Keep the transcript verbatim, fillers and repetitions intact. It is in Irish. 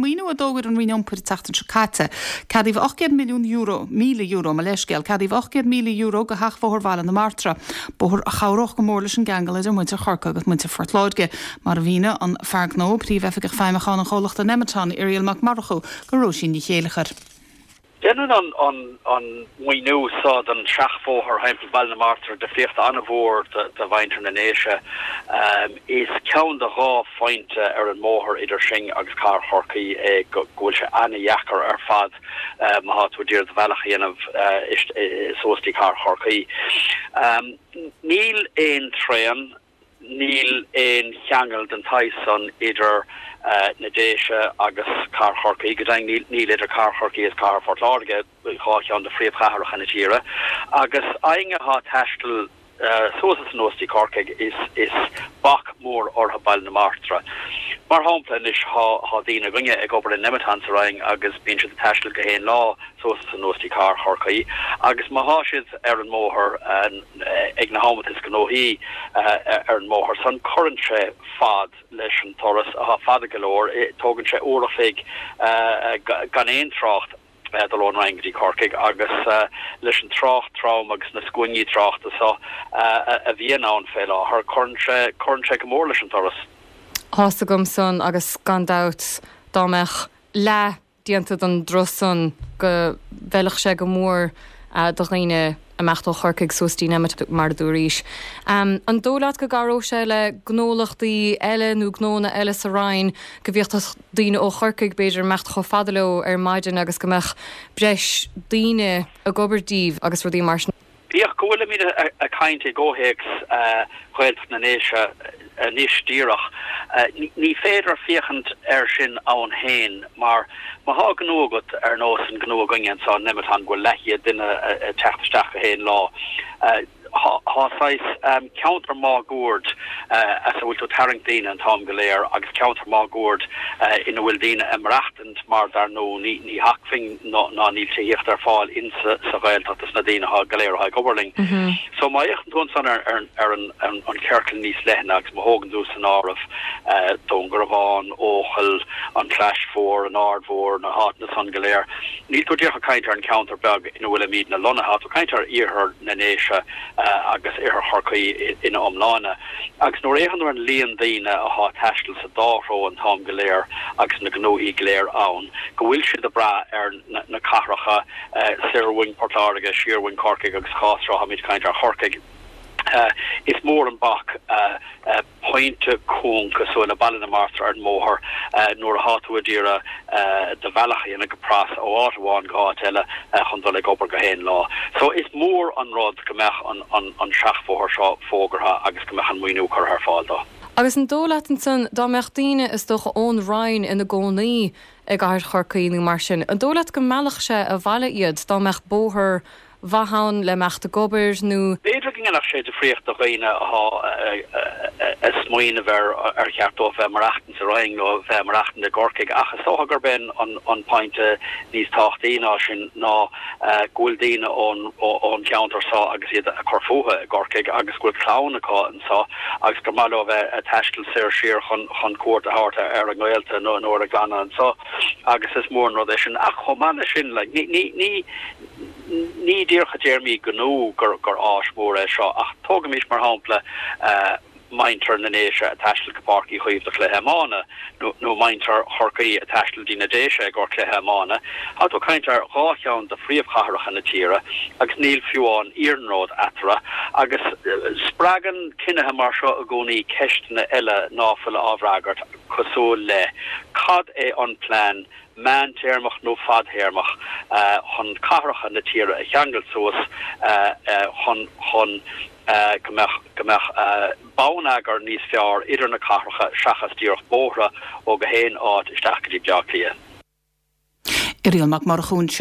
maoiniú a d'fhógair an Roinn Iompair an tseachtain seo caite. Ceadaíodh ocht gcéad milliún euro, míle euro mo leithscéal, ceadaíodh ocht gcéad míle euro go sheachbhóthar Bhaile na Martra. Bóthar a chabhródh go mór leis an gceangal idir muintir Chorcaí agus muintir Phort Láirge, mar a mhínigh an fear gnó príomhoifigeach feidhmiúcháin an chomhlachta Nemeton Irial Mac Murchú go Róisín Ní Chéileachair. Déanann an an an maoiniú seo don seachbhóthar thimpeall Bhaile na Martra difríocht an-mhór do mhuintir na nDéise. Is ceann de dhá phointe ar an mbóthar idir sinn agus cathair Chorcaí é go bhfuil sé an-dheacair ar fad má tá tú ag iarraidh do bhealach a dhéanamh suas dtí cathair Chorcaí. Níl aon traein, níl aon cheangal den tsaghas san idir na Déise agus cathair Chorcaí, go deimhin níl idir cathair Chorcaí agus cathair Phort Láirge, dhá cheann de phríomhchathracha na tíre, agus éinne atá ag taisteal suas is anuas dtí Corcaigh is is bac mór orthu Baile na Martra. Mar shampla anois tá daoine againne ag obair in Nemeton sa Rinn agus bíonn siad ag taisteal gach aon lá suas is anuas dtí cathair Chorcaí agus má thá siad ar an mbóthar ag na hamanta is gnóthaí ar an mbóthar san cuireann sé fad leis an turas atá fada go leor, tógann sé uair a chloig gan aon trácht dul ón Rinn go dtí Corcaigh agus leis an trácht trom agus na scuainí tráchta so a bhíonn ann fé láthair, cuireann sé cuireann sé go mór leis an turas. Tá's agam san agus gan dabht dá mbeadh leath déanta den dturas san go bhfeilfeadh sé go mór do dhaoine imeacht ó Chorcaigh suas dtí Nemeton mar a dúraís. An dóigh leat go gcabhródh sé le gnólachtaí eile nó gnónna eile sa Rinn go bhféadfadh daoine ó Chorcaigh b'fhéidir imeacht chomh fada leo ar maidin agus go mbeadh breis daoine ag obair díobh agus rudaí mar sin? Bíodh go bhfuilimid ag caint i gcomhthéacs Ghaeltacht na nDéise anois díreach, ní féidir féachaint air sin ann féin mar má thá gnó agat ar nós an gnó againne anseo in Nemeton go bhfuil leathchéad duine ag teacht isteach gach aon lá, thá saghas ceantar máguaird as a bhfuil tú ag tarraingt daoine an t-am go léir agus ceantar máguaird ina bhfuil daoine ag maireachtaint mar dar ndóigh ní ní hacmhainn ná níl tithíocht ar fáil in sa sa Ghaeltacht dos na daoine atá go léir atá ag obair linn. So má fhéachann tú ansan ar ar ar an an an ciorcal níos leithne agus má thógann tú san áireamh Dún Garbhán, Eochaill, an Chlais Mhór, an Aird Mhór, na háiteanna san go léir, níl tú díreach ag caint ar an cheantar beag ina bhfuilimidne lonnaithe, tá tú ag caint ar iarthar na nDéise agus iarthar Chorcaí ina iomláine. Agus nuair a fhéachann tú ar an líon daoine athá ag taisteal sa dá threo an t-am go léir agus na gnóthaí go léir ann, go bhfuil siad ag brath ar na cathracha soir uainn Port Láirge, siar uainn Corcaigh agus sa chás seo táimid ag caint ar Chorcaigh, is mór an bac pointe cúng cosúil le Baile na Martra ar an mbóthar nuair athá tú a d'iarraidh do bhealach a dhéanamh go pras ó áit amháin go háit eile chun dul ag obair gach aon lá. So is mór an rud go mbeadh an an seachbhóthar seo fógartha agus go mbeadh an maoiniú curtha ar fáil dó. Agus an dóigh leat ansan dá mbeadh daoine is dócha ón Rinn ina gcónaí i gcathair Chorcaí nó mar sin, an dóigh leat go meallfadh sé abhaile iad dá mbeadh bóthar mhaith ann le imeacht ag obair nó. B'fhéidir go ndéanfadh sé difríocht do dhaoine athá ag smaoineamh ar ar cheart dóibh bheith ag maireachtaint sa Rinn nó bheith ag maireachtaint i gCorcaigh ach is dócha gurb é an pointe níos tábhachtaí ná sin ná go bhfuil daoine ón ón cheantar seo agus iad ag cur fúthu i gCorcaigh agus go bhfuil clann acu anseo agus gur maith leo bheith ag taisteal soir siar chun chun cuairt a thabhairt ar a ngaolta nó nó ar a gclanna anseo agus is mór an rud é sin. Ach chomh maith leis sin like ní ní ní Ní díreach i dtéarmaí gnó gur áis mhór é seo, ach tógaimis mar shampla muintir na nDéise ag taisteal go Páirc Uí Chaoimh do chluiche iomána, nó muintir Chorcaí ag taisteal dtí na Déise i gcomhair cluiche iomána. Tá tú ag caint ar dhá cheann de phríomhchathracha na tíre agus níl fiú amháin iarnród eatarthu. Agus spreagann cinnithe mar seo i gcónaí ceisteanna eile ná fuil á bhfreagairt, cosúil le, cad é an plean meántéarmach nó fadthéarmach chun cathracha na tíre a cheangal suas chun chun go mbeadh go mbeadh bonneagar níos fearr idir na cathracha seachas díreach bóithre ó gach aon áit isteach go dtí Bleá Cliath. Irial Mac Murchú ansin.